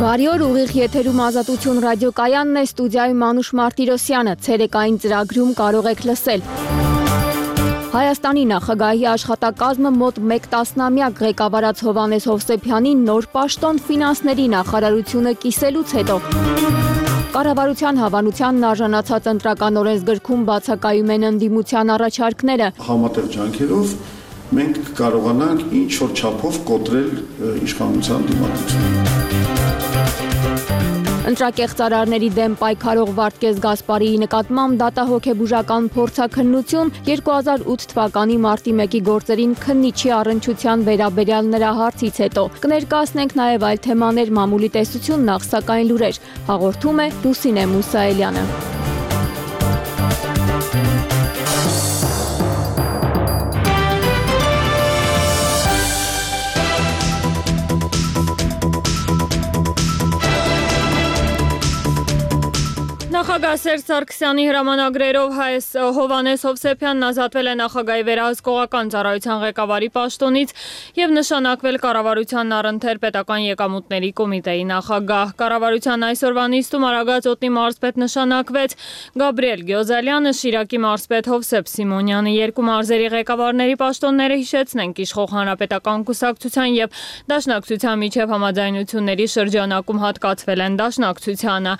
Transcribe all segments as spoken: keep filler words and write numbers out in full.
Բարի օր, ուղիղ եթերում Ազատություն ռադիոկայանն է, ստուդիայում Մանուշ Մարտիրոսյանը, ցերեկային ծրագրում կարող եք լսել։ Հայաստանի նախագահի աշխատակազմը մոտ մեկ տասնամյակ ղեկավարած Հովհաննես Հովսեփյանին նոր պաշտոն ֆինանսների նախարարությունը կիսելուց հետո։ Կառավարության հավանությանն արժանացած ընտրական օրենսգրքում բացակայում են ընդդիմության առաջարկները։ Համատեղ ջանքերով մենք կարողանանք ինչ որ չափով կոտրել իշխանության դիմադրությունը։ Ընտրակեղծարարների դեմ պայքարող Վարդգես Գասպարիի նկատմամբ դատահոգեբուժական փորձաքննություն երկու հազար ութ թվականի մարտի մեկի գործերին քննիչի առնչության վերաբերյալ նրա հարցից հետո։ Կներկայացնենք նաև այլ թեմաներ, մամուլի տեսություն, նախ սակայն լուրեր։ Հաղորդում է Լուսինե Մուսայելյանը։ Նախագահ Սերժ Սարգսյանի հրամանագրերով Հովհաննես Հովսեփյանն ազատվել է նախագահի վերահսկողական ծառայության ղեկավարի պաշտոնից եւ նշանակվել կառավարության առընթեր պետական եկամուտների կոմիտեի նախագահ։ Կառավարության այսօրվա նիստում Արագած օդի մարզպետ նշանակվեց Գաբրիել Գյոզալյանը, Շիրակի մարզպետ Հովսեփ Սիմոնյանը։ Երկու մարզերի ղեկավարների պաշտոնները, հիշեցնենք, իշխող Հանրապետական կուսակցության եւ Դաշնակցության միջև համաձայնությունների շրջանակում հատկացվել են Դաշնակցությանը։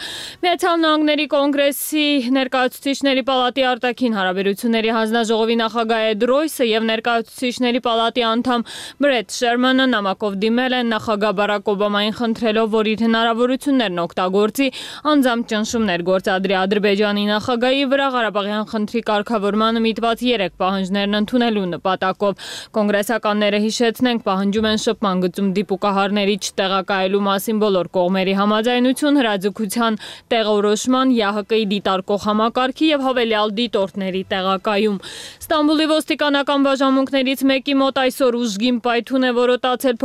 Միացյալ Նահանգների Կոնգրեսի ներկայացուցիչների պալատի արտաքին հարաբերությունների հանձնաժողովի նախագահ Էդ Ռոյսը եւ ներկայացուցիչների պալատի անդամ Բրեթ Շերմանը նամակով դիմել են նախագահ Բարակ Օբամային խնդրելով, որ իր հնարավորություններն օգտագործի անձամբ ճնշումներ գործադրի Ադրբեջանի նախագահի վրա Ղարաբաղյան խնդրի կարգավորմանը միտված երեք պահանջներն ընդունելու նպատակով։ Կոնգրեսականները, հիշեցնենք, պահանջում են շփման գծում դիպուկահարների չտեղակայելու մասին բոլոր կողմերի համաձայնություն, հրաձգության տեղորոշման, ԵԱՀԿ-ի դիտարկող համակարգի եւ հավելյալ դիտորդների տեղակայում։ Ստամբուլի ոստիկանական բաժանմունքներից մեկի մոտ այսօր ուժգին պայթուն է որոտացել,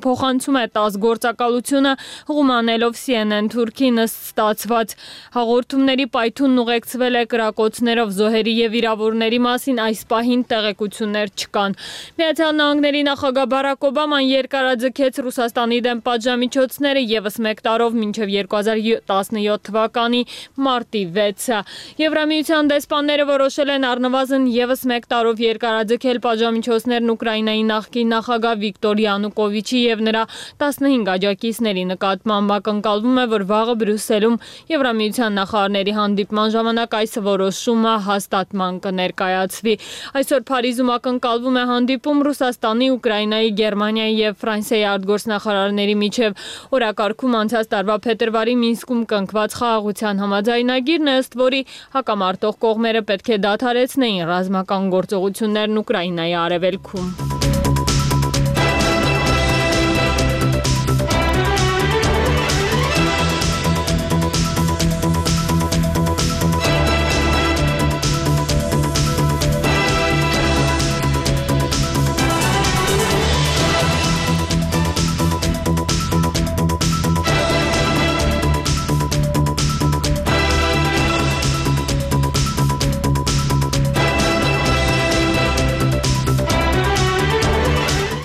փոխանցում է տաս գործակալությունը, հղումանելով C N N Թուրքին ստացված հաղորդումների պայթունն ուղեկցվել է կրակոցներով, զոհերի եւ վիրավորների մասին այս պահին տեղեկություններ չկան։ Միացյալ Նահանգների նախագահ Բարակ Օբաման երկարաձգեց Ռուսաստանի դեմ պատժամիջոցները եւս մեկ տարով մինչեւ երկու հազար տասնյոթ թվականի մարտի վեցը։ Եվրամիության դեսպանները որոշել են առնվազն եւս մեկ տարով երկարաձգել պատժամիջոցներն Ուկրաինայի նախկին նախագահ Վիկտոր Յանուկովիչի եւ նրա տասնհինգ աջակիցների նկատմամբ։ Ակնկալվում է, որ վաղը Բրյուսելում Եվրամիության նախարարների հանդիպման ժամանակ այս որոշումը հաստատման կներկայացվի։ Այսօր Փարիզում ակնկալվում է հանդիպում Ռուսաստանի, Ուկրաինայի, Գերմանիայի եւ Ֆրանսիայի արտգործնախարարների միջև։ Օրակարգում անցած տարվա փետրվարի Մինսկում կնքված խաղաղության համաձայնագիրն է, ըստ որի հակամարտող կողմերը պետք է դադարեցնեին ռազմական գործողություններն Ուկրաինայի արևելքում։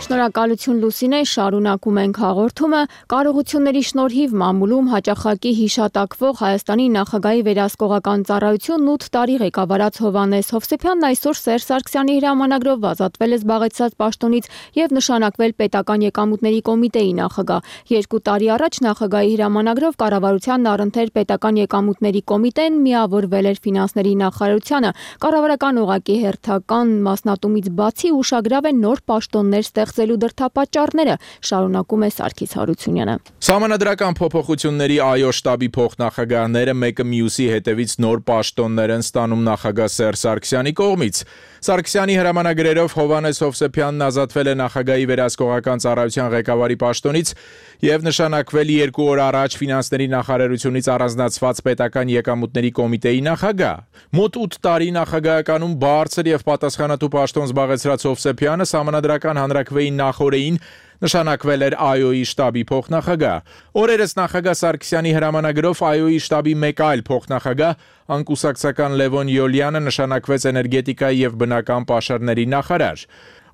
Շնորհակալություն Լուսինե, շարունակում ենք հաղորդումը։ Կարողությունների շնորհիվ մամուլում հաճախակի հիշատակվող Հայաստանի նախագահի վերահսկողական ծառայությունն ութ տարի ղեկավարած Հովհաննես Հովսեփյանն այսօր Սերժ Սարգսյանի հրամանագրով ազատվել է զբաղեցրած պաշտոնից եւ նշանակվել պետական եկամուտների կոմիտեի նախագահ։ Երկու տարի առաջ նախագահի հրամանագրով կառավարությանն առընթեր պետական եկամուտների կոմիտեն միավորվել էր ֆինանսների նախարարությանը։ Կառավարական օղակի հերթական մասնատումից բացի ուշագրավ է նոր պաշտոններ ստեղծել դրդապատճառները, շարունակում է Սարգիս Հարությունյանը։ Սահմանադրական փոփոխությունների ԱՅՈ շտաբի փոխնախագահները մեկը մյուսի հետևից նոր պաշտոններ են ստանում նախագահ Սերժ Սարգսյանի կողմից։ Սարգսյանի հրամանագրերով Հովհաննես Հովսեփյանն ազատվել է նախագահի վերահսկողական ծառայության ղեկավարի պաշտոնից եւ նշանակվել երկու օր առաջ ֆինանսների նախարարությունից առանձնացված պետական եկամուտների կոմիտեի նախագահ։ Մոտ ութ տարի նախագահականում բարձր եւ պատասխանատու պաշտոն զբաղեցրած Հովսեփյանը Սահմանադրական հանրաքվեի նախօրեին նշանակվել էր ԱՅՈ-ի շտաբի փոխնախագահ։ Օրերս նախագահ Սարգսյանի հրամանագրով ԱՅՈ-ի շտաբի մեկ այլ փոխնախագահ անկուսակցական Լևոն Յոլյանը նշանակվեց էներգետիկայի եւ բնական պաշարների նախարար։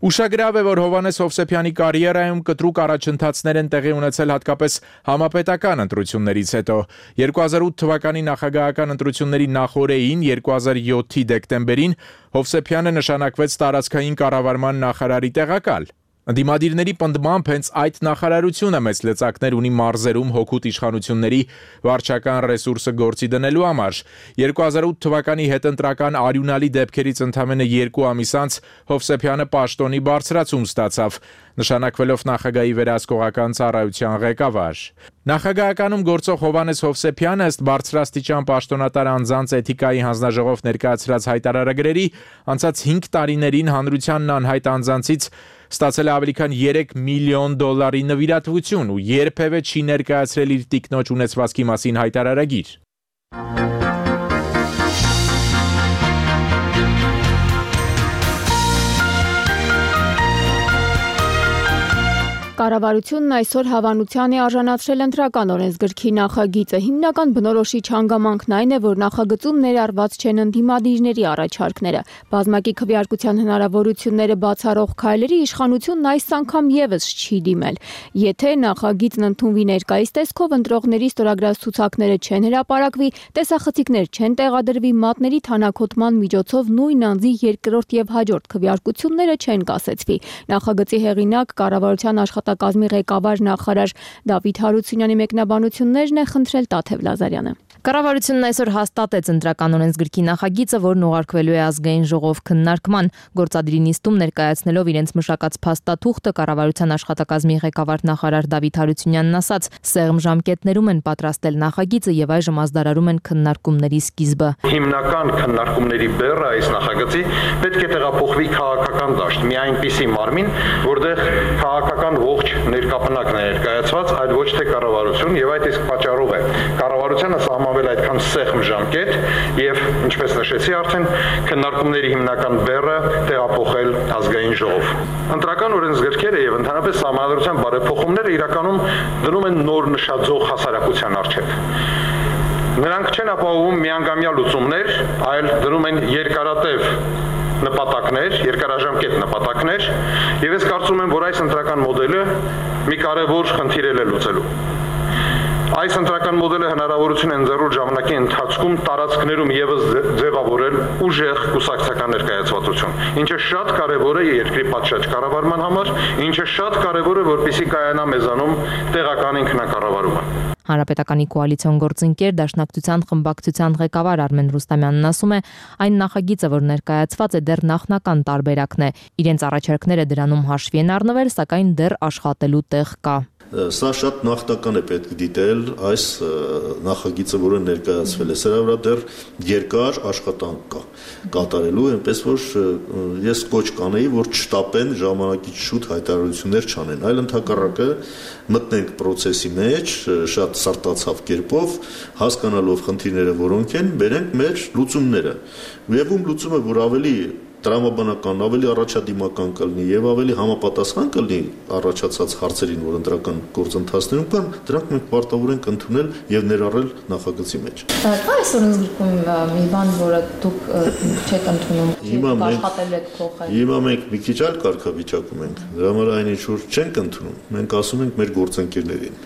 Ուշագրավ է, որ Հովհաննես Հովսեփյանի կարիերայում կտրուկ առաջընթացներ են տեղի ունեցել հատկապես համապետական ընտրություններից հետո։ երկու հազար ութ թվականի նախագահական ընտրությունների նախօրեին երկու հազար յոթի դեկտեմբերին Հովսեփյանը նշանակվեց տարածքային կառավարման նախարարի տեղակալ։ Ընդդիմադիրների պնդմամբ հենց այդ նախարարությունը մեծ լծակներ ունի մարզերում հօգուտ իշխանությունների վարչական ռեսուրսը գործի դնելու համար։ երկու հազար ութ թվականի հետընտրական արյունալի դեպքերից ընդամենը երկու ամիս անց Հովսեփյանը պաշտոնի բարձրացում ստացավ, նշանակվելով նախագահի վերահսկողական ծառայության ղեկավար։ Նախագահականում գործող Հովհաննես Հովսեփյանը ըստ բարձրաստիճան պաշտոնատար անձանց էթիկայի հանձնաժողով ներկայացրած հայտարարագրերի անցած հինգ տարիներին հանրությանն անհայտ անձանցից ստացել է ավելի քան երեք միլիոն դոլարի նվիրատվություն ու երբևէ չի ներկայացրել իր տիկնոջ ունեցվածքի մասին հայտարարագիր։ Կառավարությունն այսօր հավանության է արժանացրել ընտրական օրենսգրքի նախագիծը։ Հիմնական բնորոշիչ հանգամանքն այն է, որ նախագծում ներառված չեն ընդդիմադիրների առաջարկները։ Բազմակի քվեարկության հնարավորությունները բացառող քայլերի իշխանությունն այս անգամ եւս չի դիմել։ Եթե նախագիծն ընդունվի ներկայիս տեսքով, ընտրողների ստորագրած ցուցակները չեն հրապարակվի, տեսախցիկներ չեն տեղադրվի, մատների թանաքոտման միջոցով նույն անձի երկրորդ եւ հաջորդ քվեարկությունները չեն կասեցվի։ Նախագծի հեղինակ կառավարության աշխատակազմի ղեկավար նախարար Դավիթ Հարությունյանի մեկնաբանություններն է խնդրել Տաթև Լազարյանը։ Կառավարությունն այսօր հաստատեց ընտրական օրենսգրքի նախագիծը, որն ուղարկվելու է ազգային ժողով քննարկման։ Գործադիրի նիստում ներկայացնելով իրենց մշակած փաստաթուղթը կառավարության աշխատակազմի ղեկավար նախարար Դավիթ Հարությունյանն ասաց, սեղմ ժամկետներում են պատրաստել նախագիծը եւ այժմ ազդարարում են քննարկումների սկիզբը։ Հիմնական քննարկումների բեռը այս նախագծի պետք է տեղափոխվի քաղաքական դաշտ, մի այնպիսի մարմին, որտեղ քաղաքական ողջ ներկապնակն է ներկայացված, այլ ոչ թե կառավարություն, եւ այդ իսկ պատճառով է կառավարությունը սահմանվել այդքան սեղմ ժամկետ եւ ինչպես նշեցի արդեն քննարկումների հիմնական բեռը տեղափոխել ազգային ժողով։ Ընտրական օրենսգրքերը եւ ընդհանրապես սահմանադրության բարեփոխումները իրականում դնում են նոր նշաձող հասարակության առջեւ։ Նրանք չեն ապահովում միանգամյա լուծումներ, այլ դնում են երկարատև նպատակներ, երկարաժամկետ նպատակներ, եւ ես կարծում եմ, որ այս ընտրական մոդելը մի կարևոր խնդիր է լուծելու։ Այս ընտրական մոդելը հնարավորություն է ընձեռում ժամանակի ընթացքում տարածքներում եւս ձևավորել ուժեղ կուսակցական ներկայացվածություն, ինչը շատ կարևոր է երկրի պատշաճ կառավարման համար, ինչը շատ կարևոր է, որպեսզի կայանա մեզանում տեղական ինքնակառավարումը։ Հանրապետականի կոալիցիոն գործընկեր Դաշնակցության խմբակցության ղեկավար Արմեն Ռուստամյանն ասում է, այն նախագիծը, որ ներկայացված է, դեռ նախնական տարբերակն է։ Իրենց առաջարկները դրանում հաշվի են առնվել, սակայն դեռ աշխատելու տեղ կա։ Սա շատ նախնական է պետք դիտել այս նախագիծը, որը ներկայացվել է։ Սրա վրա դեռ երկար աշխատանք կա կատարելու, այնպես որ ես կոչ կանեի, որ չշտապեն ժամանակից շուտ հայտարարություններ չանեն, այլ ընդհակառակը մտնենք process-ի մեջ շատ սարտացավ կերպով, հասկանալով խնդիրները որոնք են, բերենք մեր լուծումները։ Եվում լուծումը, որ ավելի տրամաբանական, ավելի առաջադիմական կլինի եւ ավելի համապատասխան կլինի առաջացած հարցերին, որ ընտրական գործընթացներում կան, դրանք մենք պարտավոր ենք ընդունել եւ ներառել նախագծի մեջ։ Կա այսօր ընդգրկում մի բան, որը դուք չեք ընդունում, չեք աշխատել եք փոխել։ Հիմա մենք մի քիչ այլ կարգավիճակում ենք։ Դրա համար այն ինչ որ չենք ընդունում, մենք ասում ենք մեր գործընկերներին։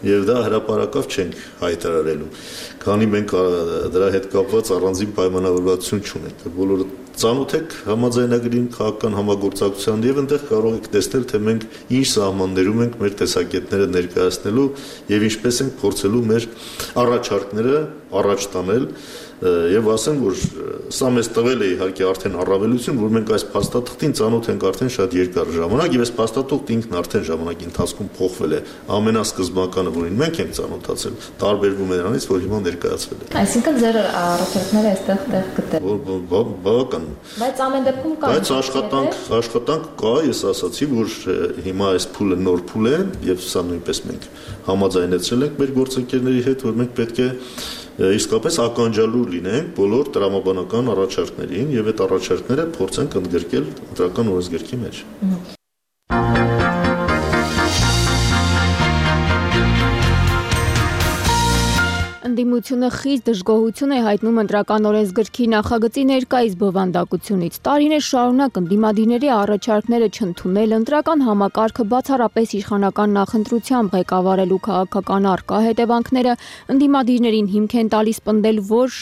Եվ դա հրապարակավ չենք հայտարարելու, քանի մենք դրա հետ կապված առանձին պայմանավորվածություն չունենք։ Բոլորը ծանոթ եք համաձայնագրին, քաղաքական համագործակցության եւ այնտեղ կարող եք տեսնել, թե մենք ինչ սահմաններում ենք մեր տեսակետները ներկայացնելու եւ ինչպես ենք փորձելու մեր առաջարկները առաջ տանել եւ ասեմ, որ սա մեզ տվել է իհարկե արդեն առավելություն, որ մենք այս փաստաթղթին ծանոթ ենք արդեն շատ երկար ժամանակ եւ այս փաստաթուղթը ինքն արդեն ժամանակի ընթացքում փոխվել է։ Ամենասկզբնականը, որին մենք ենք ծանոթացել, տարբերվում է նրանից, որ հիմա ներկայացվել է։ Այսինքն ձեր առաջարկները այստեղ տեղ գտել։ Բավական։ Բայց ամեն դեպքում կա։ Բայց աշխատանք, աշխատանք կա, ես ասացի, որ հիմա այս փուլը նոր փուլ է եւ սա նույնպես մենք համաձայնեցրել ենք մեր գործընկերների հետ, որ մենք պետք է իսկապես ականջալուր լինենք բոլոր տրամաբանական առաջարկներին եւ այդ առաջարկները փորձենք ընդգրկել ընտրական օրենսգրքի մեջ։ Ընդդիմությունը խիստ դժգոհություն է հայտնում ընտրական օրենսգրքի նախագծի ներկայիս բովանդակությունից։ Տարիներ շարունակ ընդդիմադիրների առաջարկները չընդունել, ընտրական համակարգը բացառապես իշխանական նախընտրությամբ ղեկավարելու քաղաքական առկա հետևանքները ընդդիմադիրներին հիմք են տալիս պնդել, որ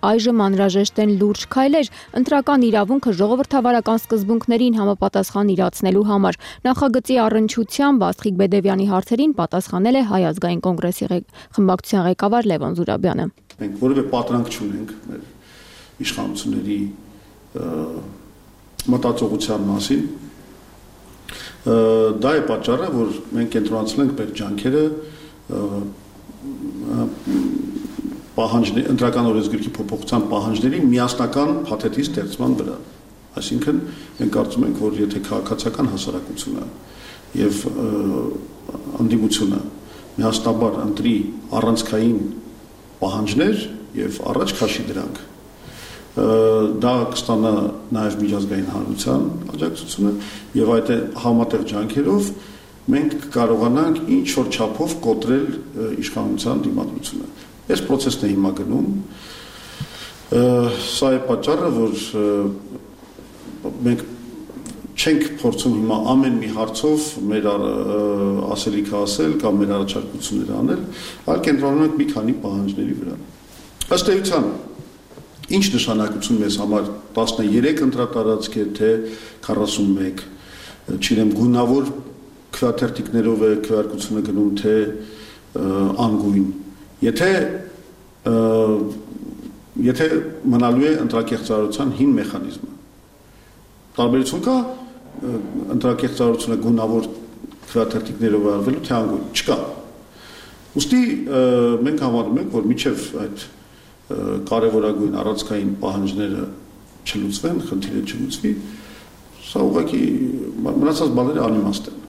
այժմ անհրաժեշտ են լուրջ քայլեր ընտրական իրավունքը ժողովրդավարական սկզբունքներին համապատասխան իրացնելու համար։ Նախագծի առնչությամբ Աստղիկ Բեդևյանի հարցերին պատասխանել է Հայ ազգային կոնգրեսի խմբակցության ղեկավար Լևոն Զուրաբյանը։ Մենք որևէ պատրանք չունենք մեր իշխանությունների մտածողության մասին։ Դա է պատճառը, որ մենք կենտրոնացել ենք մեր ջանքերը պահանջների ընտրական օրենսգրքի փոփոխության պահանջների միասնական փաթեթի ստեղծման վրա։ Այսինքն մենք կարծում ենք, որ եթե քաղաքացիական հասարակությունը եւ ընդդիմությունը միասնաբար ընտրի առանցքային պահանջներ եւ առաջ քաշի դրանք, դա կստանա նաեւ միջազգային հանրության աջակցությունը եւ այդ համատեղ ջանքերով մենք կարողանանք ինչ որ չափով կոտրել իշխանության դիմադրությունը։ Այս process-ն է հիմա գնում, սա է պատճառը, որ մենք չենք փորձում հիմա ամեն մի հարցով մեր ասելիքը ասել կամ մեր առաջարկությունները անել, այլ կենտրոնանանք մի քանի պահանջների վրա։ Ըստ էության, ինչ նշանակություն մեզ համար տասներեք ընտրատարածք է, թե քառասունմեկ, չգիտեմ, գունավոր քվեաթերթիկներով է քվեարկությունը գնում, թե անգույն։ Եթե եթե մնալու է ընտրակեղծարարության հին մեխանիզմը, տարբերություն կա ընտրակեղծարարությունը գունավոր քվեաթերթիկներով արվելու, թե անգույն, չկա։ Ուստի մենք համարում ենք, որ մինչև այդ կարևորագույն առանցքային պահանջները չլուծվեն, խնդիրը չլուծվի, սա ուղղակի մնացած բաները անիմաստ են։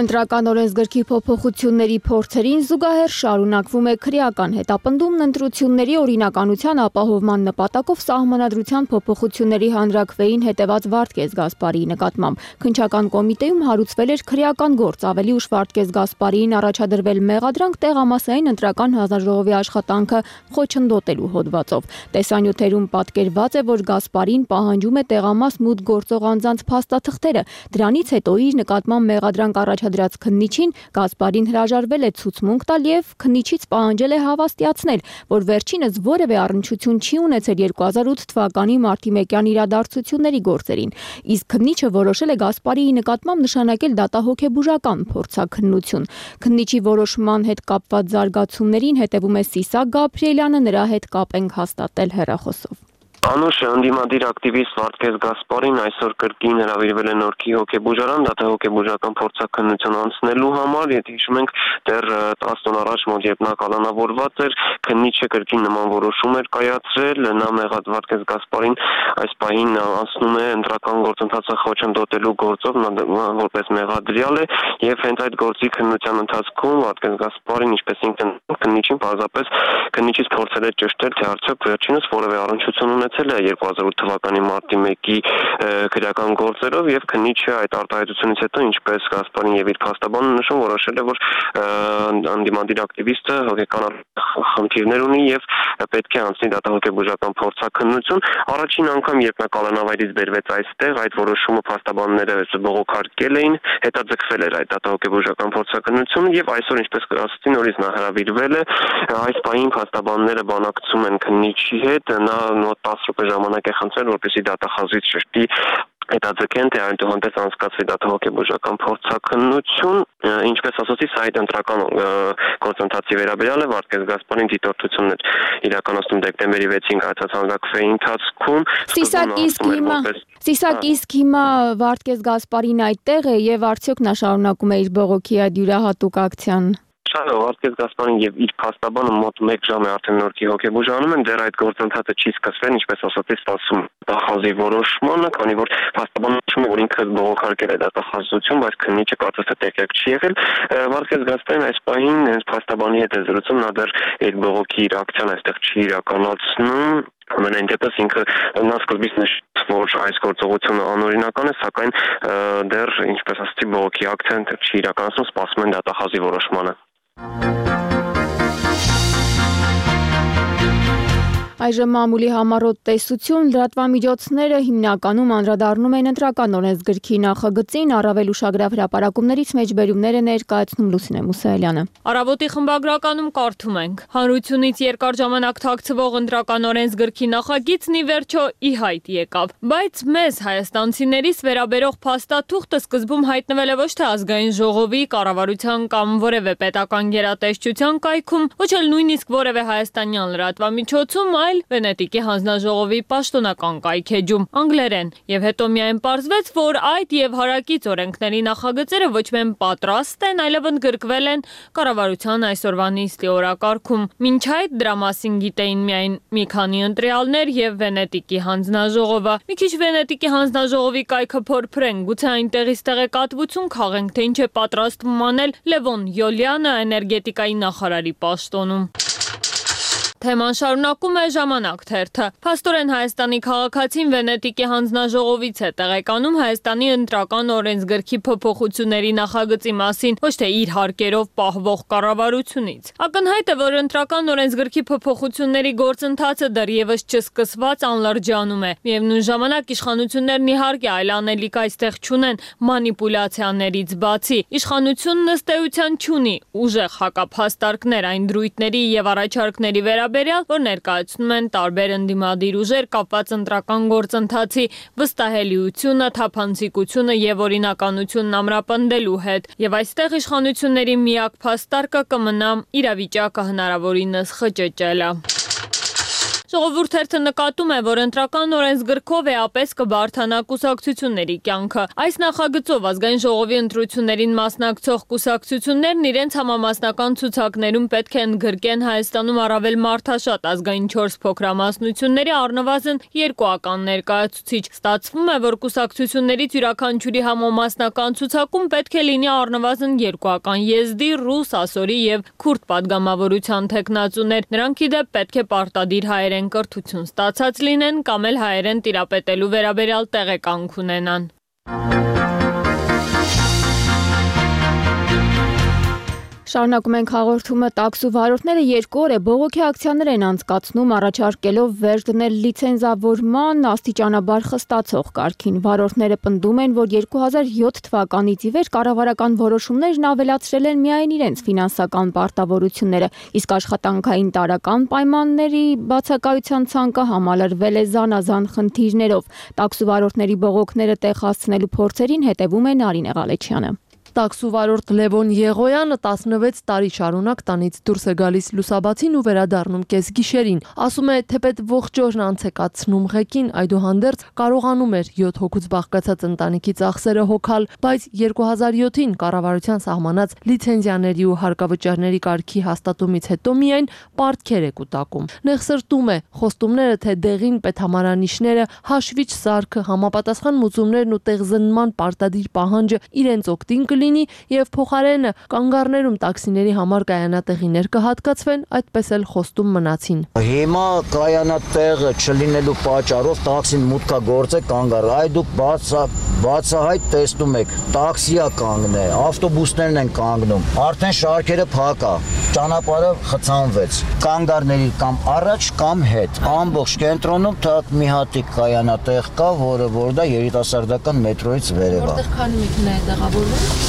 Ընտրական օրենսգրքի փոփոխությունների փորձերին զուգահեռ շարունակվում է քրեական հետապնդումն ընտրությունների օրինականության ապահովման նպատակով սահմանադրության փոփոխությունների հանրաքվեին հետևած Վարդգես Գասպարիի նկատմամբ։ Քննչական կոմիտեում հարուցվել էր քրեական գործ, ավելի ուշ Վարդգես Գասպարիին առաջադրվել մեղադրանք տեղամասային ընտրական հանձնաժողովի աշխատանքը խոչընդոտելու հոդվածով։ Տեսանյութերում պատկերված է, որ Գասպարին պահանջում է տեղամաս մուտք գործող անձանց փաստաթղթերը։ Դրանից հետո իր նկատմամբ մեղադրանք առաջ դրած քննիչին Գասպարին հրաժարվել է ցուցմունք տալ եւ քննիչից պահանջել է հավաստիացնել, որ վերջինս որևէ առնչություն չի ունեցել երկու հազար ութ թվականի մարտի մեկյան իրադարձությունների գործերին։ Իսկ քննիչը որոշել է Գասպարիի նկատմամբ նշանակել դատահոգեբուժական փորձաքննություն։ Քննիչի որոշման հետ կապված զարգացումներին հետևում է Սիսակ Գաբրիելյանը, նրա հետ կապ ենք հաստատել հեռախոսով։ Անուշ ընդդիմադիր ակտիվիստ Վարդգես Գասպարին այսօր կրկին հրավիրվել է Նորքի հոգեբուժարան դատահոգեբուժական փորձաքննություն անցնելու համար, եթե հիշում ենք, դեռ տասը օր առաջ մոտ երբ նա կալանավորված էր, քննիչը կրկին նման որոշում էր կայացրել, նա մեղադ Վարդգես Գասպարին այս պահին անցնում է ընտրական գործընթացը խոչընդոտելու գործով, նա որպես մեղադրյալ է եւ հենց այդ գործի քննության ընթացքում Վարդգես Գասպարին, ինչպես ինքն քննիչին պարզապես քննիչից փորձել է ճշտել, թե արդյոք վերջինս որևէ առնչություն ունեցել է երկու հազար ութ թվականի մարտի մեկի քրեական գործերով եւ քննիչը այդ արտահայտությունից հետո ինչպես Գասպարին եւ իր փաստաբանը նշում որոշել է որ անդիմադիր ակտիվիստը հոգեկան խնդիրներ ունի եւ պետք է անցնի դատահոգեբուժական փորձաքննություն առաջին անգամ երբ նա կալանավայրից բերվեց այստեղ այդ որոշումը փաստաբանները բողոքարկել էին հետաձգվել էր այդ դատահոգեբուժական փորձաքննությունը եւ այսօր ինչպես ասացի նորից նա հրավիրվել է այս պահին փաստաբանները բանակցում են քննիչի հետ նա մոտ տասը րոպե ժամանակ է խնդրել որպեսզի դատախազից շշտի հետաձգեն թե այնուհանդերձ անցկացվի դատահոգեբուժական փորձաքննություն ինչպես ասացի սա այդ ընտրական գործընթացի վերաբերյալ է Վարդգես Գասպարին դիտորդություններ իրականացնում դեկտեմբերի վեցին կայացած հանրաքվեի ընթացքում Սիսակ իսկ հիմա Սիսակ իսկ հիմա Վարդգես Գասպարին այդտեղ է եւ արդյոք նա շարունակում է իր բողոքի այդ յուրահատուկ ակցիան Վարդգես Գասպարին եւ իր փաստաբանը մոտ մեկ ժամ է արդեն Նորքի հոգեբուժանում են դեռ այդ գործընթացը չի սկսվել ինչպես ասացի սպասում դատախազի որոշմանը քանի որ փաստաբանը նշում է որ ինքը բողոքարկել է դատախազություն բայց քննիչը կարծես թե տեղյակ չի եղել Վարդգես Գասպարին այս պահին հենց փաստաբանի հետ է զրուցում նա դեռ այդ բողոքի իր ակցիան այստեղ չի իրականացնում Ամենայն դեպս ինքը նա սկզբից որ այս գործողությունը անօրինական է, սակայն դեռ ինչպես ասացի բողոքի ակցիան չի իրականացնում, սպասում են դատախազի որոշմանը։ Այժմ մամուլի համառոտ տեսություն լրատվամիջոցները հիմնականում անդրադառնում են ընտրական օրենսգրքի նախագծին, առավել ուշագրավ հրապարակումներից մեջբերումներ է ներկայացնում Լուսինե Մուսայելյանը։ Առավոտի խմբագրականում կարդում ենք. Հանրությունից երկար ժամանակ թաքցվող ընտրական օրենսգրքի նախագիծն ի վերջո ի հայտ եկավ, բայց մեզ հայաստանցիներից վերաբերող փաստաթուղթը սկզբում հայտնվել է ոչ թե ազգային ժողովի, կառավարության կամ որևէ պետական գերատեսչության կայքում, ոչ էլ նույնիսկ որևէ հայաստանյան լրատվամիջոցում, այլ Վենետիկի հանձնաժողովի պաշտոնական կայքեջում անգլերեն, եւ հետո միայն պարզվեց, որ այդ եւ հարակից օրենքների նախագծերը ոչ միայն պատրաստ են, այլև ընդգրկվել են կառավարության այսօրվա նիստի օրակարգում։ Մինչ այդ դրա մասին գիտեին միայն մի քանի ընտրյալներ եւ Վենետիկի հանձնաժողովը։ Մի քիչ Վենետիկի հանձնաժողովի կայքը փորփրենք, գուցե այնտեղից տեղեկատվություն քաղենք, թե ինչ է պատրաստվում անել Լևոն Յոլյանը էներգետիկայի նախարարի պաշտոնում։ Թեման շարունակում է Ժամանակ թերթը։ Փաստորեն Հայաստանի քաղաքացին Վենետիկի հանձնաժողովից է տեղեկանում Հայաստանի ընտրական օրենսգրքի փոփոխությունների նախագծի մասին, ոչ թե իր հարկերով պահվող կառավարությունից։ Ակնհայտ է, որ ընտրական օրենսգրքի փոփոխությունների գործընթացը դեռևս չսկսված անլրջանում է։ Միևնույն ժամանակ իշխանություններն իհարկե այլ անելիք այստեղ չունեն մանիպուլյացիաներից բացի։ Իշխանությունն ըստ էության չունի ուժեղ հակափաստարկներ այն դրույթների եւ առաջարկների վերաբերյալ, որ ներկայացնում են տարբեր ընդդիմադիր ուժեր կապված ընտրական գործընթացի վստահելիությունը, թափանցիկությունը եւ օրինականությունն ամրապնդելու հետ, եւ այստեղ իշխանությունների միակ փաստարկը կմնա իրավիճակը հնարավորինս խճճելը։ Ժողովուրդ թերթը նկատում է, որ ընտրական օրենսգրքով էապես կբարդանա կուսակցությունների կյանքը։ Այս նախագծով ազգային ժողովի ընտրություններին մասնակցող կուսակցություններն իրենց համամասնական ցուցակներում պետք է ընդգրկեն Հայաստանում առավել մարդաշատ ազգային չորս փոքրամասնությունների առնվազն երկուական ներկայացուցիչ։ Ստացվում է, որ կուսակցություններից յուրաքանչյուրի համամասնական ցուցակում պետք է լինի առնվազն երկուական եզդի, ռուս, ասորի եւ քուրդ падգամավորության թեկնածուներ։ Նրանք ի դեպ պետք է պարտադիր հայերեն կրթություն ստացած լինեն կամ էլ հայերեն տիրապետելու վերաբերյալ տեղեկանք ունենան։ Շարունակում ենք հաղորդումը տաքսու վարորդները երկու օր է բողոքի ակցիաներ են անցկացնում առաջարկելով վերջ դնել լիցենզավորման աստիճանաբար խստացող կարգին։ Վարորդները պնդում են, որ երկու հազար յոթ թվականից ի վեր կառավարական որոշումներն ավելացրել են միայն իրենց ֆինանսական պարտավորությունները, իսկ աշխատանքային տարրական պայմանների բացակայության ցանկը համալրվել է զանազան խնդիրներով։ Տաքսու վարորդների բողոքները տեղ հասցնելու փորձերին հետևում է Նարինե Ղալեչյանը։ Տաքսու վարորդ Լևոն Եղոյանը տասնվեց տարի շարունակ տանից դուրս է գալիս լուսաբացին ու վերադառնում կեսգիշերին։ Ասում է, թեպետ ողջ օրն անց է կացնում ղեկին, այդուհանդերձ կարողանում էր յոթ հոգուց բաղկացած ընտանիքի ծախսերը հոգալ, բայց երկու հազար յոթին կառավարության սահմանած լիցենզիաների ու հարկավճարների կարգի հաստատումից հետո միայն պարտքեր է կուտակում։ Նեղսրտում է, խոստումները, թե դեղին պետհամարանիշները, հաշվիչ սարքը, համապատասխան մուծումներն ու տեղզնման պարտադիր պահանջը իրենց օգտին կլինի եւ փոխարենը կանգառներում տաքսիների համար կայանատեղիներ կհատկացվեն, այդպես էլ խոստում մնացին։ Հիմա կայանատեղը չլինելու պատճառով տաքսին մուտքա գործ է կանգառ, այ դուք բացահայտ տեսնում եք, տաքսիա կանգն է, ավտոբուսներն են կանգնում, արդեն շարքերը փակ է, ճանապարհը խցանվեց, կանգառների կամ առաջ կամ հետ, ամբողջ կենտրոնում թակ մի հատիկ կայանատեղ կա, որը որ դա երիտասարդական մետրոյից վերև է։ Որտեղ քանի մեքենա է տեղավորվում։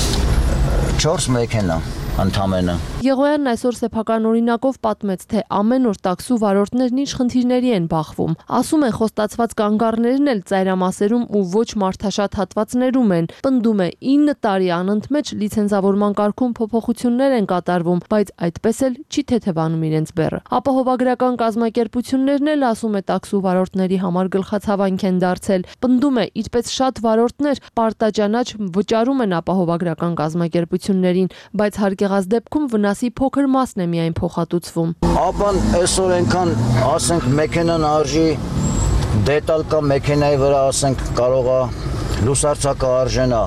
չորս մեքենա ընդամենը։ Եղոյանն այսօր սեփական օրինակով պատմեց, թե ամեն օր տաքսու վարորդներն ինչ խնդիրների են բախվում։ Ասում է, խոստացված կանգառներն էլ ծայրամասերում ու ոչ մարդաշատ հատվածներում են։ Պնդում է, ինը տարի անընդմեջ լիցենզավորման կարգում փոփոխություններ են կատարվում, բայց այդպես էլ չի թեթևանում իրենց բեռը։ Ապահովագրական կազմակերպություններն էլ, ասում է, տաքսու վարորդների համար գլխացավանք են դարձել։ Պնդում է, իրպես շատ վարորդներ պարտաճանաչ վճարում են ապահովագրական կազմակերպություններին, բայց հարգեղած դեպքում վնասի փոքր մասն է միայն փոխհատուցվում։ Ապան այսօր այնքան, ասենք, մեքենան արժի, դետալ կա մեքենայի վրա, ասենք, կարող է լուսարձակը արժենա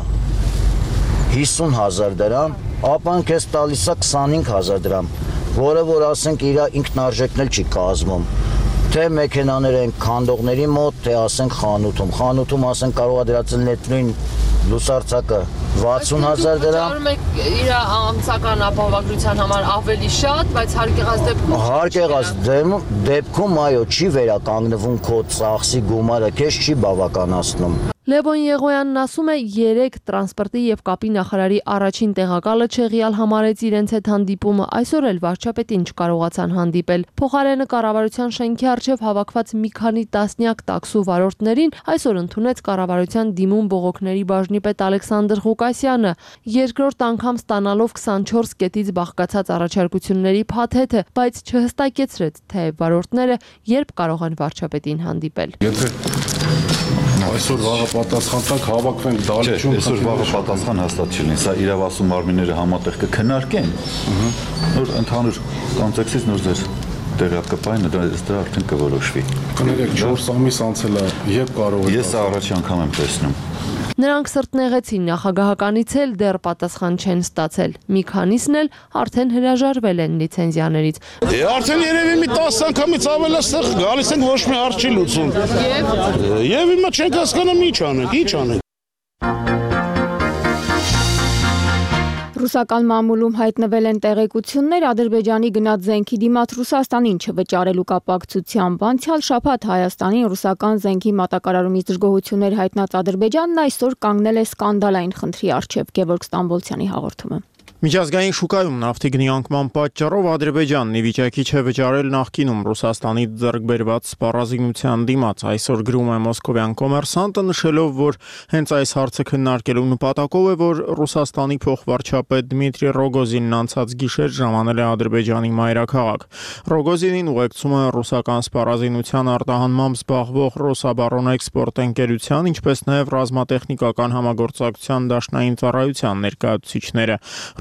հիսուն հազար դրամ, ապան քեզ տալիս է քսանհինգ հազար դրամ, որը որ ասենք իր ինքնարժեքն էլ չի կազմում։ թե մեքենաներ են քանդողների մոտ, թե ասենք խանութում։ Խանութում ասենք կարող է դրածել նետնույն լուսարձակը վաթսուն հազար դրամ։ Իր ամսական ապահովագրության համար ավելի շատ, բայց հարկ եղած դեպքում Հարկ եղած դեպքում այո, չի վերականգնվում քո ծախսի գումարը, քեզ չի բավականացնում։ Լևոն Եղոյանն ասում է երեք տրանսպորտի եւ կապի նախարարի առաջին տեղակալը չեղյալ համարեց իրենց հետ հանդիպումը, այսօր էլ վարչապետին չկարողացան հանդիպել։ Փոխարենը կառավարության շենքի առջև հավաքված մի քանի տասնյակ տաքսու վարորդներին այսօր ընդունեց կառավարության դիմում բողոքների բաժնի պետ Ալեքսանդր Ղուկասյանը, երկրորդ անգամ ստանալով քսանչորս կետից բաղկացած առաջարկությունների փաթեթը, բայց չհստակեցրեց, թե վարորդները երբ կարող են վարչապետին հանդիպել։ Այսօր վաղը պատասխան տակ հավաքվենք դալիճում։ Այսօր վաղը պատասխան հաստատ չի լինի, սա իրավասու մարմինները համատեղ կքննարկեն։ Նոր ընդհանուր կոնտեքստից նոր ձեր տեղյակ կպային, դրա արդեն կորոշվի։ Կներեք, չորս ամիս անցել է, երբ կարող է։ Ես առաջի անգամ եմ տեսնում։ Նրանք սրտնեղեցին նախագահականից էլ դեռ պատասխան չեն ստացել։ Մի քանիսն էլ արդեն հրաժարվել են լիցենզիաներից։ Արդեն երևի մի տասը անգամից ավել այստեղ գալիս են ոչ մի հարց չի լուծում։ Եվ հիմա չենք հասկանում ինչ անենք, ինչ անենք։ Ռուսական մամուլում հայտնվել են տեղեկություններ Ադրբեջանի գնած զենքի դիմաց Ռուսաստանին չվճարելու կապակցությամբ։ Անցյալ շաբաթ Հայաստանին ռուսական զենքի մատակարարումից դժգոհություններ հայտնած Ադրբեջանն այսօր կանգնել է սկանդալային խնդրի առջև։ Գևորգ Ստամբոլցյանի հաղորդումը։ Միջազգային շուկայում նավթի գնի անկման պատճառով Ադրբեջանն ի վիճակի չէ վճարել նախկինում Ռուսաստանից ձեռք բերված սպառազինության դիմաց։ Այսօր գրում է մոսկովյան Կոմերսանտը, նշելով, որ հենց այս հարցը քննարկելու նպատակով է, որ Ռուսաստանի փոխվարչապետ Դմիտրի Ռոգոզինն անցած գիշեր ժամանել է Ադրբեջանի մայրաքաղաք։ Ռոգոզինին ուղեկցում է ռուսական սպառազինության արտահանմամբ զբաղվող Ռոսաբարոնեքսպորտ ընկերության, ինչպես նաև ռազմատեխնիկական համագործակցության դաշնային ծառայության ներկայացուցիչները։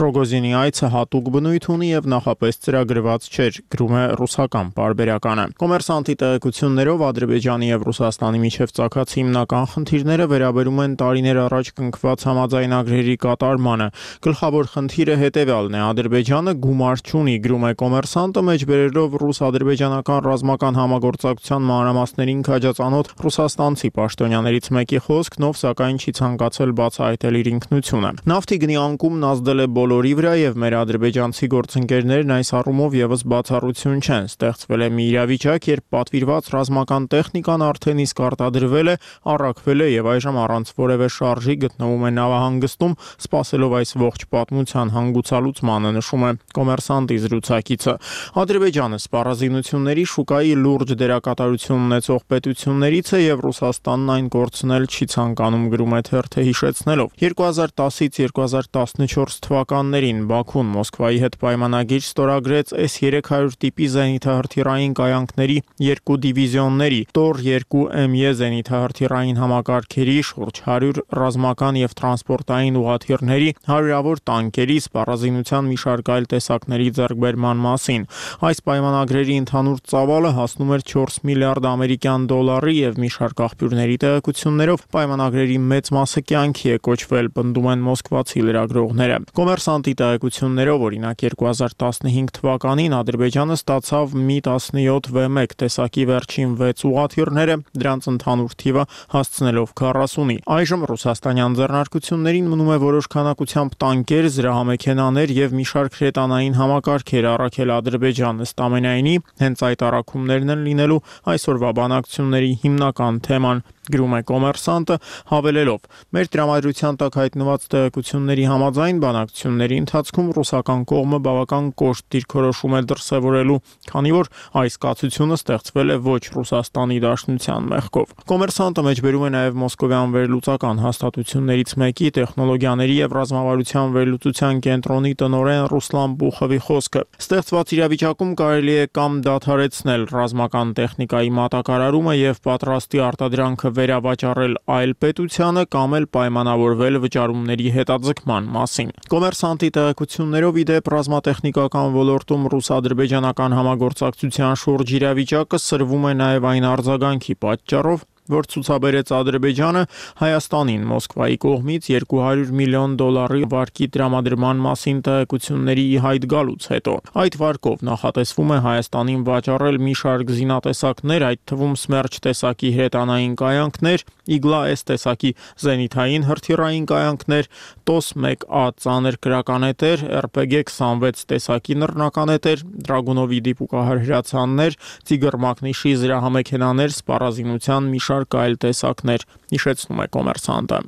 Ռոգոզինի այցը հատուկ բնույթ ունի եւ նախապես ծրագրված չէր, գրում է ռուսական պարբերականը։ Կոմերսանտի տեղեկություններով Ադրբեջանի եւ Ռուսաստանի միջև ծագած հիմնական խնդիրները վերաբերում են տարիներ առաջ կնքված համաձայնագրերի կատարմանը։ Գլխավոր խնդիրը հետեւյալն է. Ադրբեջանը գումար չունի, գրում է Կոմերսանտը, մեջբերելով ռուս-ադրբեջանական ռազմական համագործակցության մանրամասներին քաջածանոթ ռուսաստանցի պաշտոնյաներից մեկի խոսքն, ով սակայն չի ցանկացել բացահայտել իր ինքնությունը։ Նավթի գնի անկումն ազդել է բոլորի վրա եւ մեր ադրբեջանցի գործընկերներն այս առումով եւս բացառություն չեն։ Ստեղծվել է մի իրավիճակ, երբ պատվիրված ռազմական տեխնիկան արդեն իսկ արտադրվել է, առաքվել է եւ այժմ առանց որևէ շարժի գտնվում է նավահանգստում, սպասելով այս ողջ պատմության հանգուցալուծմանը, նշում է Կոմերսանտի զրուցակիցը։ Ադրբեջանը սպառազինությունների շուկայի լուրջ դերակատարություն ունեցող պետություններից է եւ Ռուսաստանն այն կորցնել չի ցանկանում, գրում է թերթը հիշեցնելով։ երկու հազար տասից երկու հազար տասնչորս թվականներին Բաքուն Մոսկվայի հետ պայմանագիր ստորագրեց էս երեք հարյուր տիպի զենիթահրթիռային կայանքների երկու դիվիզիոնների, Տոր երկու Էմ Ե զենիթահրթիռային համակարգերի, շուրջ հարյուր ռազմական եւ տրանսպորտային ուղաթիռների, հարյուրավոր տանկերի, սպառազինության մի շարք այլ տեսակների ձեռքբերման մասին։ Այս պայմանագրերի ընդհանուր ծավալը հասնում էր չորս միլիարդ ամերիկյան դոլարի եւ մի շարք աղբյուրների տեղեկություններով պայմանագրերի մեծ մասը կյանքի է կոչվել, պնդում են մոսկվացի լրագրողները։ Կոմերսանտի տեղեկություններով օրինակ երկու հազար տասնհինգ թվականին Ադրբեջանը ստացավ մի տասնյոթ վե մեկ տեսակի վերջին վեց ուղաթիռները, դրանց ընդհանուր թիվը հասցնելով քառասունի։ Այժմ ռուսաստանյան ձեռնարկություններին մնում է որոշ քանակությամբ տանկեր, զրահամեքենաներ եւ մի շարք հրետանային համակարգեր առաքել Ադրբեջան։ Ըստ ամենայնի, հենց այդ առաքումներն են լինելու այսօրվա բանակցությունների հիմնական թեման, գրում է Կոմերսանտը, հավելելով. մեր տրամադրության տակ հայտնված տեղեկությունների համաձայն բանակցությունների ընթացքում ռուսական կողմը բավական կոշտ դիրքորոշում է դրսևորելու, քանի որ այս կացությունը ստեղծվել է ոչ Ռուսաստանի Դաշնության մեղքով։ Կոմերսանտը մեջբերում է նաև մոսկովյան վերլուծական հաստատություններից մեկի տեխնոլոգիաների եւ ռազմավարության վերլուծության կենտրոնի տնօրեն Ռուսլան Բուխովի խոսքը։ Ստեղծված իրավիճակում կարելի է կամ դադարեցնել ռազմական տեխնիկայի մատակարարումը եւ պատրաստի արտադրանքը վերավաճառել այլ պետությանը կամ էլ պայմանավորվել վճարումների հետաձգման մասին։ Կոմերսանտի տեղեկություններով ի դեպ ռազմատեխնիկական ոլորտում ռուս-ադրբեջանական համագործակցության շուրջ իրավիճակը սրվում է նաև այն արձագանքի պատճառով, որ ցուցաբերեց Ադրբեջանը Հայաստանին Մոսկվայի կողմից երկու հարյուր միլիոն դոլարի վարկի տրամադրման մասին տեղեկությունների ի հայտ գալուց հետո։ Այդ վարկով նախատեսվում է Հայաստանին վաճառել մի շարք զինատեսակներ, այդ թվում Սմերջ տեսակի հրետանային կայանքներ, Իգլա-S տեսակի զենիթային հրթիռային կայանքներ, Տոս մեկ A ծանր կրականետեր, R P G քսանվեց տեսակի նռնականետեր, Դրագունովի դիպուկահար հրացաններ, Տիգր Մակնիշի զրահամեքենաներ, սպառազինության մի շարք այլ տեսակներ, հիշեցնում է Կոմերսանտը։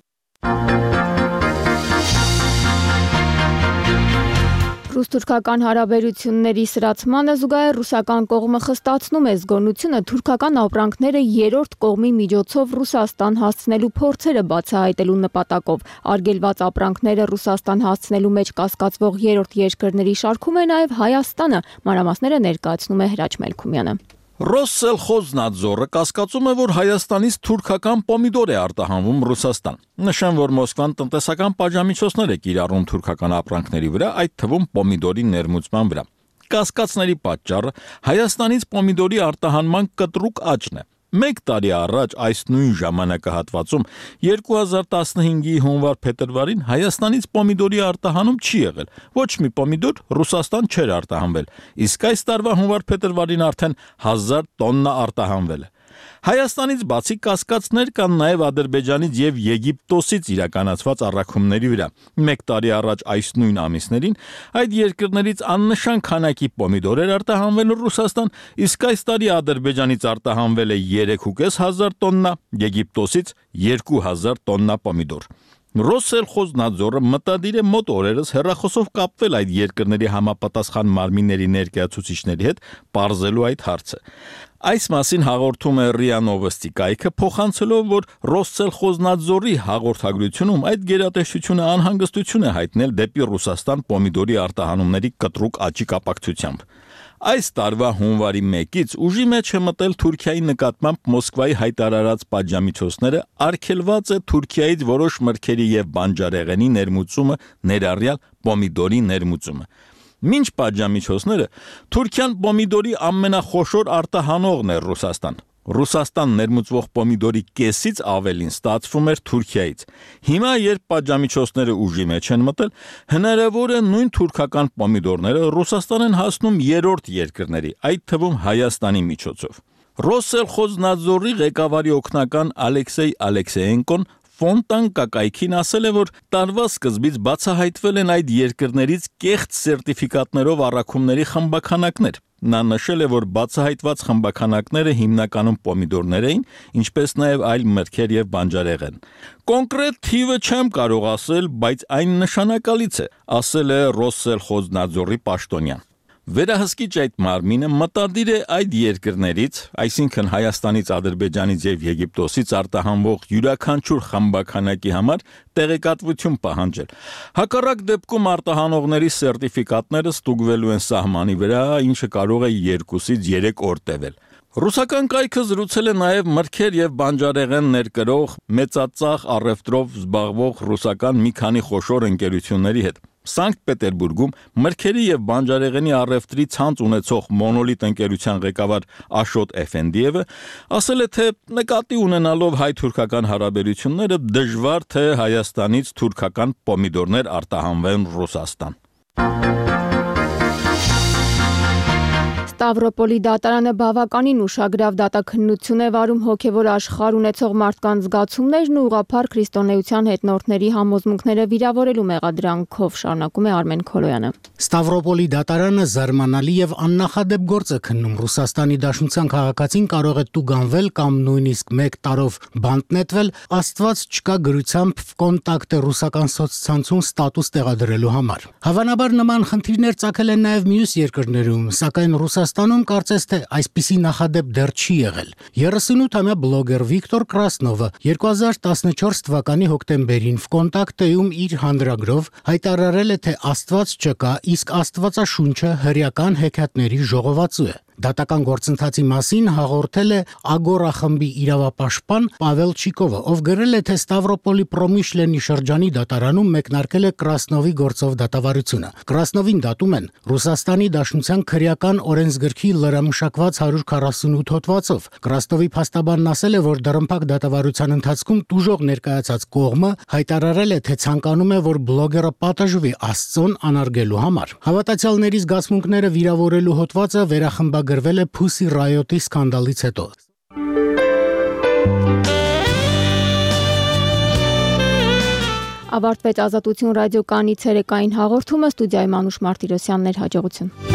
Ռուս-թուրքական հարաբերությունների սրացմանը զուգահեռ ռուսական կողմը խստացնում է զգոնությունը թուրքական ապրանքները երրորդ կողմի միջոցով Ռուսաստան հասցնելու փորձերը բացահայտելու նպատակով։ Արգելված ապրանքները Ռուսաստան հասցնելու մեջ կասկածվող երրորդ երկրների շարքում է նաև Հայաստանը, մանրամասները ներկայացնում է Հրաչ Մելքումյանը։ Ռոսսելխոզնադզորը կասկածում է, որ Հայաստանից թուրքական պոմիդոր է արտահանվում Ռուսաստան։ Նշեմ, որ Մոսկվան տնտեսական պատժամիջոցներ է կիրառում թուրքական ապրանքների վրա, այդ թվում պոմիդորի ներմուծման վրա։ Կասկածների պատճառը Հայաստանից պոմիդորի արտահանման կտրուկ աճն է։ Մեկ տարի առաջ այս նույն ժամանակահատվածում երկու հազար տասնհինգի հունվար-փետրվարին Հայաստանից պոմիդորի արտահանում չի եղել։ Ոչ մի պոմիդոր Ռուսաստան չէր արտահանվել, իսկ այս տարվա հունվար-փետրվարին արդեն հազար տոննա արտահանվել է։ Հայաստանից բացի կասկածներ կան նաև Ադրբեջանից եւ Եգիպտոսից իրականացված առաքումների վրա։ Մեկ տարի առաջ այս նույն ամիսներին այդ երկրներից աննշան քանակի պոմիդոր էր արտահանվել Ռուսաստան, իսկ այս տարի Ադրբեջանից արտահանվել է երեք հազար պինսյոթ տոննա, Եգիպտոսից երկու հազար տոննա պոմիդոր։ Ռոսսելխոզնադզորը մտադիր է մոտ օրերս հեռախոսով կապվել այդ երկրների համապատասխան մարմինների ներկայացուցիչների հետ, պարզելու այդ հարցը։ Այս մասին հաղորդում է ՌԻԱ Նովոստի կայքը, փոխանցելով, որ Ռոսսելխոզնադզորի հաղորդագրությունում այդ գերատեսչությունը անհանգստություն է հայտնել դեպի Ռուսաստան պոմիդորի արտահանումների կտրուկ աճի կապակցությամբ։ Այս տարվա հունվարի մեկից ուժի մեջ է մտել Թուրքիայի նկատմամբ Մոսկվայի հայտարարած պատժամիջոցները, արգելված է Թուրքիայից որոշ մրգերի եւ բանջարեղենի ներմուծումը, ներառյալ պոմիդորի ներմուծումը։ Մինչ պատժամիջոցները Թուրքիան պոմիդորի ամենախոշոր արտահանողն է Ռուսաստան։ Ռուսաստան ներմուծվող պոմիդորի կեսից ավելին ստացվում էր Թուրքիայից։ Հիմա, երբ պատժամիջոցները ուժի մեջ են մտել, հնարավոր է նույն թուրքական պոմիդորները Ռուսաստան են հասնում երրորդ երկրների, այդ թվում Հայաստանի միջոցով։ Ռոսսելխոզնադզորի ղեկավարի օգնական Ալեքսեյ Ալեքսեյենկոն Ֆոնտան կակայքին ասել է, որ տարվա սկզբից բացահայտվել են այդ երկրներից կեղծ սերտիֆիկատներով առաքումների խմբաքանակներ։ Նա նշել է, որ բացահայտված խմբաքանակները հիմնականում պոմիդորներ էին, ինչպես նաև այլ մրգեր եւ բանջարեղեն։ Կոնկրետ թիվը չեմ կարող ասել, բայց այն նշանակալից է, ասել է Ռոսսելխոզնադզորի պաշտոնյան։ Վերահսկիչ այդ մարմինը մտադիր է այդ երկրներից, այսինքն Հայաստանից, Ադրբեջանից եւ Եգիպտոսից արտահանվող յուրաքանչյուր խմբաքանակի համար տեղեկատվություն պահանջել։ Հակառակ դեպքում արտահանողների սերտիֆիկատները ստուգվելու են սահմանի վրա, ինչը կարող է երկուսից երեք օր տևել։ Ռուսական կայքը զրուցել է նաև մրգեր եւ բանջարեղեն ներկրող մեծածախ առևտրով զբաղվող ռուսական մի քանի խոշոր ընկերությունների հետ։ Սանկտ Պետերբուրգում մրգերի եւ բանջարեղենի առևտրի ցանց ունեցող Մոնոլիտ ընկերության ղեկավար Աշոտ Էֆենդիևը ասել է, թե նկատի ունենալով հայ-թուրքական հարաբերությունները դժվար թե Հայաստանից թուրքական պոմիդորներ արտահանվեն Ռուսաստան։ Ստավրոպոլի դատարանը բավականին ուշագրավ դատաքննություն է վարում հոգևոր աշխարհ ունեցող մարդկանց զգացումներն ու ուղղափառ քրիստոնեության հետնորդների համոզմունքները վիրավորելու մեղադրանքով, շարունակում է Արմեն Քոլոյանը։ Ստավրոպոլի դատարանը զարմանալի եւ աննախադեպ գործ է քննում։ Ռուսաստանի Դաշնության քաղաքացին կարող է տուգանվել կամ նույնիսկ մեկ տարով բանտ նետվել, Աստված չկա գրությամբ կոնտակտ է ռուսական սոցցանցում ստատուս տեղադրելու համար։ Հավանաբար նման խնդիրներ ծագել են նաեւ մյուս երկրներում, սակայն Ռուսաստանում կարծես թե այսպիսի նախադեպ դեռ չի եղել։ երեսունութամյա բլոգեր Վիկտոր Կրասնովը երկու հազար տասնչորս թվականի հոկտեմբերին Վկոնտակտեում իր հանրագրով հայտարարել է, թե Աստված չկա, իսկ Աստվածաշունչը հրեական հեքիաթների ժողովածու է։ Դատական գործընթացի մասին հաղորդել է Ագորա խմբի իրավապաշտպան Պավել Չիկովը, ով գրել է, թե Ստավրոպոլի Պրոմիշլենի շրջանի դատարանում մեկնարկել է Կրասնովի գործով դատավարությունը։ Կրասնովին դատում են Ռուսաստանի Դաշնության քրեական օրենսգրքի լրամշակված հարյուր քառասունութ հոդվածով։ Կրասնովի փաստաբանն ասել է, որ դռնփակ դատավարության ընթացքում տուժող ներկայացած կողմը հայտարարել է, թե ցանկանում է, որ բլոգերը պատժվի Աստծուն անարգելու համար։ Հավատացյալների զգացմունքները վիրավորելու հոդվածը վերախմբագրվել է Pussy Riot-ի սկանդալից հետո։ Ավարտվեց Ազատություն ռադիոկայանի ցերեկային հաղորդումը, ստուդիայում Անուշ Մարտիրոսյանն էր, հաջողություն։